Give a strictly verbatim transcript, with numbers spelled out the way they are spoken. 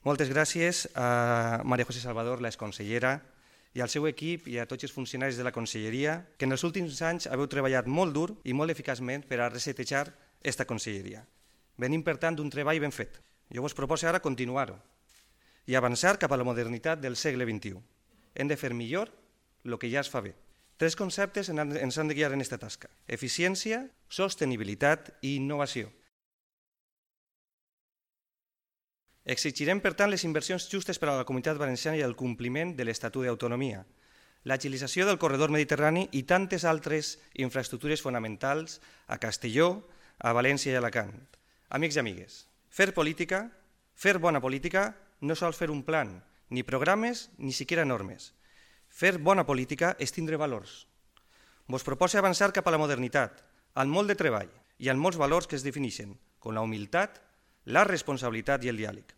Moltes gràcies a María José Salvador, l'exconsellera, i al seu equip i a tots els funcionaris de la conselleria, que en els últims anys haveu treballat molt dur i molt eficaçment per a resetejar aquesta conselleria. Venim, per tant, d'un treball ben fet. Jo vos proposo ara continuar-ho i avançar cap a la modernitat del segle vint-i-u. Hem de fer millor el que ja es fa bé. Tres conceptes ens han de guiar en aquesta tasca: eficiència, sostenibilitat i innovació. Exigirem, per tant, les inversions justes per a la Comunitat Valenciana i el compliment de l'Estatut d'Autonomia, l'agilització del corredor mediterrani i tantes altres infraestructures fonamentals a Castelló, a València i a Alacant. Amics i amigues, fer política, fer bona política, no sols fer un plan, ni programes, ni siquiera normes. Fer bona política és tindre valors. Vos proposo avançar cap a la modernitat, al molt de treball i amb molts valors que es defineixen, com la humilitat, la responsabilitat i el diàleg.